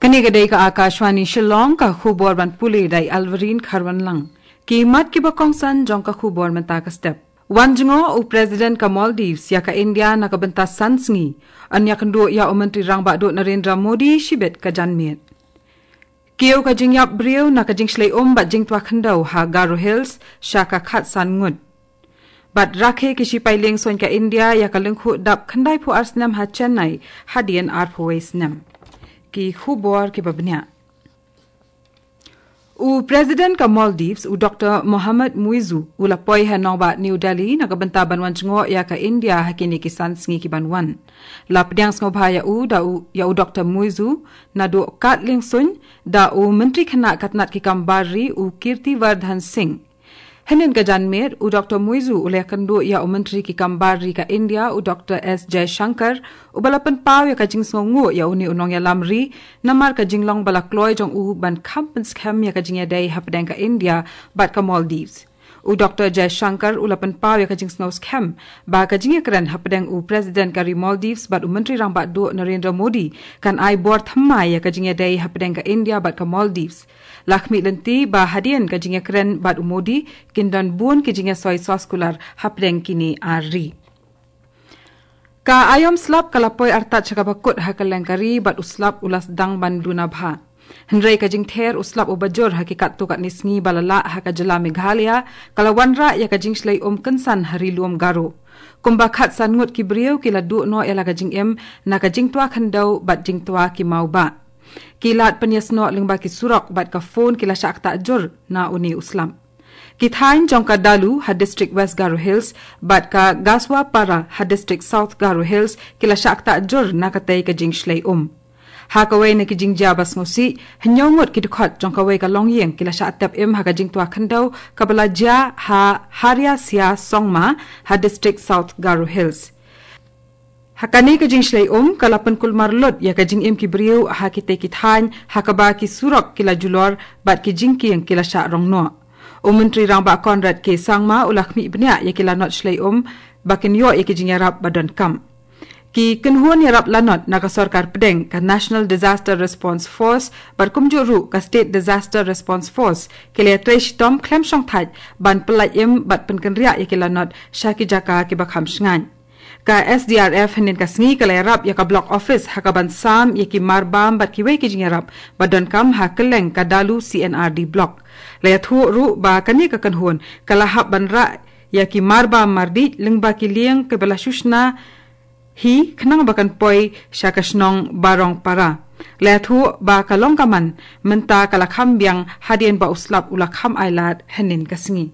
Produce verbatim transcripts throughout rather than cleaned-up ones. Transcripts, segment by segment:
Kane ka dei ka Akashvani Shillong, ka khubor ban pule da i Alvarine Kharwanlang. Ki mat kiba kongsan jong ka khubor mynta ka step. Wan jngoh u President ka Maldives ïa ka India na ka bynta san sngi. Yn ïakynduh ïa u Myntri Rangbah Duh Narendra Modi shibit ka janmiet. Kiew ka jingïap briew na ka jingshlei um bad jingtwa khyndew ha Garo Hills sha ka khatsan ngut. Bad rakhe ki shipai liengsuiñ ka India ïa ka lyngkhuh dap khyndaiphew ar snem ha Chennai hadien arphew wei snem. Ki khubor kiba bniah. U President ka Maldives, u Doktor Mohamed Muizzu, u la poi ha nongbah New Delhi na ka bynta ban wan jngoh ïa ka India ha kine ki san sngi ki ban wan. La pdiang sngewbha ïa u da u, ïa u Doktor Muizzu, naduh kat liengsuiñ, da u Myntri Khynnah ka tnat ki kam bar ri, u Kirti Vardhan Singh. Hynnin ka janmiet, u Doktor Muizzu u la ïakynduh ïa u Myntri ki kam bar ri ka India, u Doktor S Jaishankar, uba la pynpaw ïa ka jingsngewnguh ïa une u nongïalam ri, namar ka jinglong ba la kloi jong u ban kham pynskhem ïa ka jingïadei hapdeng ka India bad ka Maldives. U Doktor Jaishankar u la pynpaw ïa ka jingsngewskhem ba ka jingïakren hapdeng u President ka ri Maldives bad u Myntri Rangbah Duh Narendra Modi kan ai bor thymmai ïa ka jingïadei hapdeng ka India bad ka Maldives. La khmih lynti ba hadien ka jingïakren bad u Modi, kin don bun ki jingïasoi soskular hapdeng kine ar ri. Ka aïom slap ka la poi artat sha kaba kut ha kylleng ka ri bad u slap u la sdang ban duna bha. Hynrei ka jingther u slap uba jur ha ki katto katne sngi ba la lah ha ka jylla Meghalaya, ka la wanrah ïa ka jingshlei um kynsan ha ri lum Garo. Kumba khatsan ngut ki briew ki la duh noh ïa la ka jingim na ka jingtwa khyndew bad jingtwa ki mawbah. Ki lad pynïasnoh lyngba ki surok bad ka phone ki la shah ktah jur na une u slap. Ki thaiñ jong ka Dalu ha district West Garo Hills bad ka Gaswapara ha district South Garo Hills ki la shah ktah jur na katei ka jingshlei um. Ha kawei na ki jingjia ba sngewsih, hynñiew ngut ki dkhot jong kawei ka longïing ki la shah tep im ha ka jingtwa khyndew kaba la jia ha Hariasia Songma ha district South Garo Hills. Ha kane ka jingshlei um, ka la pynkulmar lut ïa ka jingim ki briew ha kitei ki thaiñ, ha kaba ki surok ki la julor bad ki jingkieng ki la shah rong noh. U Myntri Rangbah Conrad K Sangma u la khmih bniah ïa ki lanot shlei um ba kin ïoh ïa ki jingïarap ba donkam. Ki kynhun ïarap lanot na ka sorkar pdeng, ka National Disaster Response Force bad kumjuh ruh ka State Disaster Response Force, ki la ïatrei shitom khlem shongthait ban pyllait im bad pynkynriah ïa ki lanot sha ki jaka kiba kham shngaiñ. Ka S D R F hynnin ka sngi ka la ïarap ïa ka block office ha kaban sam ïa ki marbam bad kiwei ki jingïarap ba donkam ha kylleng ka Dalu C and R D block. La ïathuh ruh ba kane ka kynhun ka la hap ban rah ïa ki marbam mardih lyngba ki lieng kiba la shu shna hi khnang ba kan poi sha ka shnong Barongpara. La ïathuh ba ka long ka man mynta ka la kham biang hadien ba u slap u la kham ailad hynnin ka sngi.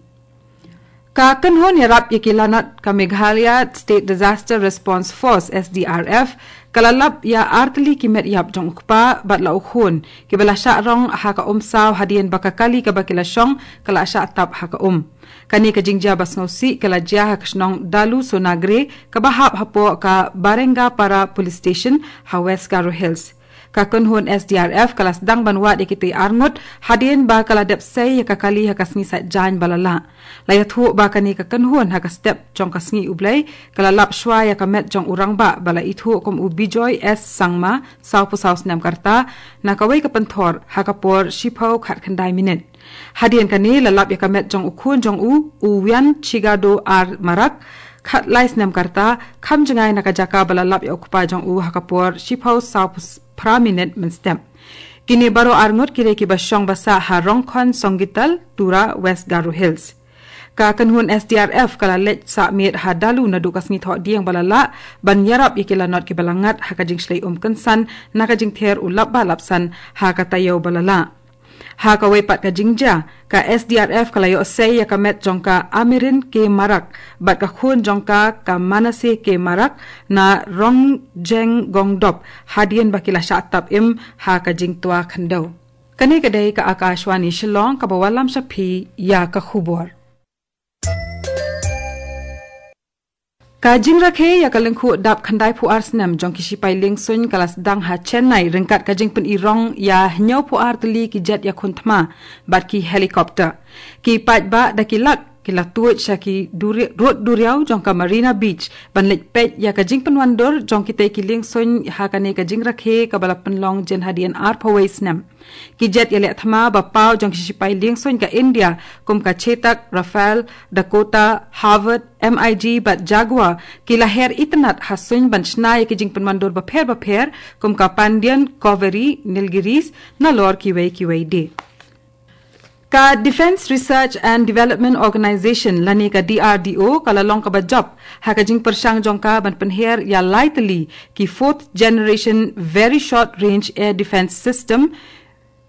Ka kynhun ïarap ïa ki lanot ka Meghalaya State Disaster Response Force, S D R F, ka la lap ïa artylli ki met ïap jong u kpa bad la u khun kiba la shah rong ha ka umsaw hadien ba ka kali kaba ki la shong ka la shah tap ha ka um. Kane ka jingjia ba sngewsih ka la jia ha ka shnong Dalu Sonagre kaba hap hapoh ka Barengapara Police Station ha West Garo Hills. Ka kynhun S D R F ka la sdang ban wad ïa kitei arngut hadien ba ka la dep sei ïa ka kali ha ka sngi Saitjaiñ ba la lah. La ïathuh ba kane ka kynhun ha ka step jong ka sngi U Blei ka la lap shuwa ïa ka met jong u rangbah ba la ithuh kum u Bijoy S Sangma, sawphew saw snem ka rta, na kawei ka pynthor ha ka por shiphew khatkhyndai minit. Hadien kane la lap ïa ka met jong u khun jong u, u Wian Chigado R Marak, khatlai snem ka rta, kham jngai na ka jaka ba la lap ïa u kpa jong u ha ka por shiphew sawphew phra minit mynstep. Kine baroh arngut ki dei kiba shong ba sah ha Rongkhon Songgital, Tura, West Garo Hills. Ka kynhun S D R F ka la leit sah miet ha Dalu naduh ka sngi Thohdieng ba la lah ban ïarap ïa ki lanot kiba la ngat ha ka jingshlei um kynsan na ka jingther u lap ba lapsan ha ka taïew ba la lah. Ha kawei pat ka jingjia, ka S D R F ka la ïoh sei ïa ka met jong ka Amirin K Marak bad ka khun jong ka, ka Manasseh K Marak, na Rongjeng Gongdop hadien ba ki la shah tap im ha ka jingtwa khyndew. Kane ka dei ka Akashvani Shillong kaba wallam sha phi ïa ka khubor. Ka jingrakhe ïa ka lyngkhuh dap khyndaiphew ar snem jong ki shipai liengsuiñ ka la sdang ha Chennai ryngkat ka jingpynïarong ïa hynñiewphew ar tylli ki jet ïakhun thma bad ki helicopter. Ki paidbah da ki lak la tuid sha ki duri-, rud duriaw jong ka Marina Beach ban leit peit ïa ka jingpynwandur jong kitei ki liengsuiñ ha kane ka jingrakhe kaba la pynlong jin hadien arphew wei snem. Ki jet ïaleh thma ba paw jong ki sipai liengsuiñ ka India kum ka Chetak, Rafale, Dakota, Harvard, M I G bad Jaguar ki la her itynnad ha suiñ ban shna ïa ki jingpynwandur bapher bapher kum ka Pandian, Kaveri, Nilgiris, nalor kiwei kiwei de. Ka Defence Research and Development Organisation lane ka D R D O ka la long kaba jop ha ka jingpyrshang jong ka ban pynher ïa lai tylli ki Fourth Generation Very Short Range Air Defence System,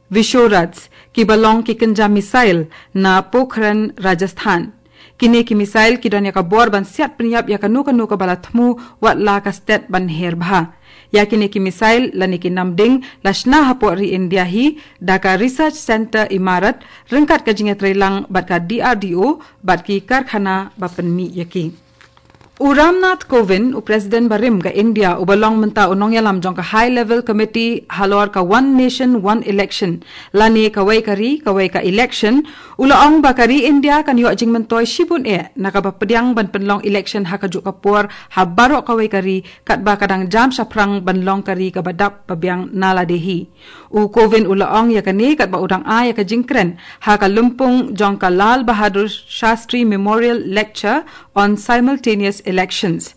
Vishorats, kiba long ki kynja missile na Pokhran, Rajasthan. Kine ki missile ki don ïa ka bor ban siat pynïap ïa kano kano kaba la thmu wat la ka stet ban her bha. Ïa kine ki missile lane ki namding la shna hapoh ri India hi da ka Research Centre Imarat ryngkat ka jingïatreilang bad ka D R D O bad ki karkhana ba pynmih ïa ki. U Ramnath Kovind, u President barim ka India, uba long mynta u nongïalam jong ka High Level Committee halor ka One Nation, One Election, lane kawei ka ri, kawei ka election, u la ong ba ka ri India kan ïoh jingmyntoi shibun eh na kaba pdiang ban pynlong election ha kajuh ka por ha baroh kawei ka ri, katba ka dang jam shaphrang ban long ka ri kaba dap ba biang na lade hi. U Kovind u la ong ïa kane katba u dang ai ïa ka jingkren ha ka lympung jong ka Lal Bahadur Shastri Memorial Lecture on Simultaneous Elections.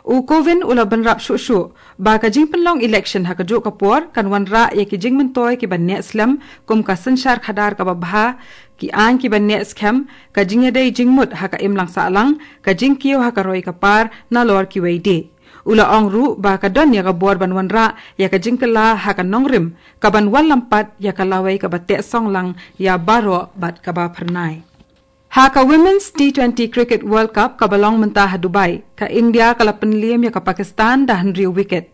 U Kovind u la bynrap shuh shuh ba ka jingpynlong election ha kajuh ka por kan wanrah ïa ki jingmyntoi kiba neh slem kum ka synshar khadar kaba bha, ki aiñ kiba neh skhem, ka jingïadei jingmut ha ka imlang sahlang, ka jingkiew ha ka roi ka par nalor kiwei de. U la ong ruh ba ka don ïa ka bor ban wanrah ïa ka jingkylla ha ka nongrim kaban wallam pat ïa ka lawei kaba teh song lang ïa baroh bad kaba phyrnai. Ha ka Women's T twenty Cricket World Cup kaba long mynta ha Dubai, ka India ka la pynliem ïa ka Pakistan da hynriew wicket.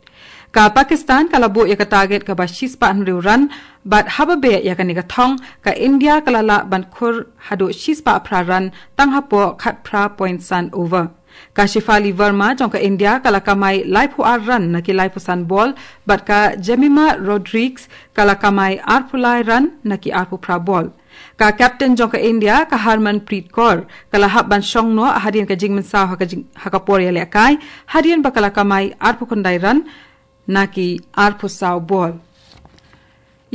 Ka Pakistan ka la buh ïa ka target kaba shispah hynriew run bad haba beh ïa kane ka thong ka India ka la lah ban khur haduh shispah phra run tang hapoh khatphra point san over. Ka Shefali Verma jong ka India ka la kamai laiphew ar run na ki laiphew san bol bad ka Jemimah Rodrigues ka la kamai arphew lai run na ki arphew phra bol. Ka captain jong ka India, ka Harmanpreet Kaur, ka la hap ban shong noh hadien ka jingmynsaw ha ka jing, ha ka por ïalehkai, hadien ba ka la kamai arphew khyndai run na ki arphew saw bol.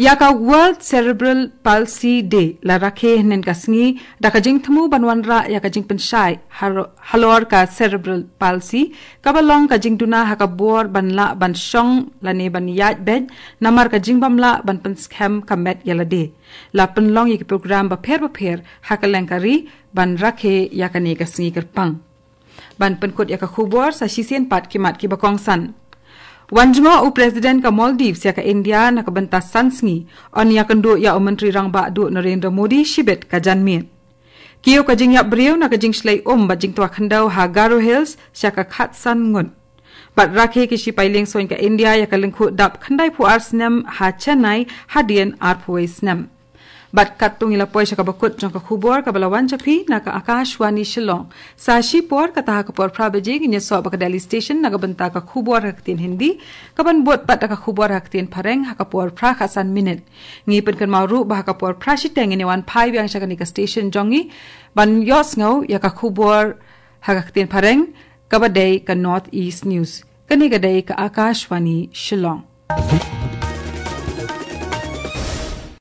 Ïa ka World Cerebral Palsy Day la rakhe hynnin ka sngi da ka jingthmu ban wanrah ïa ka jingpynshai haro-, halor ka cerebral palsy, kaba long ka jingduna ha ka bor ban lah ban shong lane ban ïaid beit namar ka jingbymlah ban pynskhem ka met ïa lade. La pynlong ïa ki program bapher bapher ha kylleng ka ri ban rakhe ïa kane ka sngi kyrpang. Ban pynkut ïa ka khubor sa shisien pat ki mat kiba kongsan. Wan jngoh u President ka Maldives ïa ka India na ka bynta san sngi, yn ïakynduh ïa u Myntri Rangbah Duh Narendra Modi shibit ka janmiet. Kiew ka jingïap briew na ka jingshlei um bad jingtwa khyndew ha Garo Hills sha ka khatsan ngut. Bad rakhe ki sipai liengsuiñ ka India ïa ka lyngkhuh dap khyndaiphew ar snem ha Chennai hadien arphew wei snem. Bad katto ngi la poi sha kaba kut jong ka khubor kaba la wan sha phi na ka Akashvani Shillong. Sa shipor kata ha ka por phra baje ngin ïasoh bad ka Delhi Station na ka bynta ka khubor ha ka ktien Hindi, kaban bud pat da ka khubor ha ka ktien Phareng ha ka por phra khatsan minit. Ngi pynkynmaw ruh ba ha ka por phra shiteng ngin ïawan phai biang sha kane ka station jong ngi ban ïohsngew ïa ka khubor ha ka ktien Phareng, kaba dei ka North East News. Kane ka dei ka Akashvani Shillong.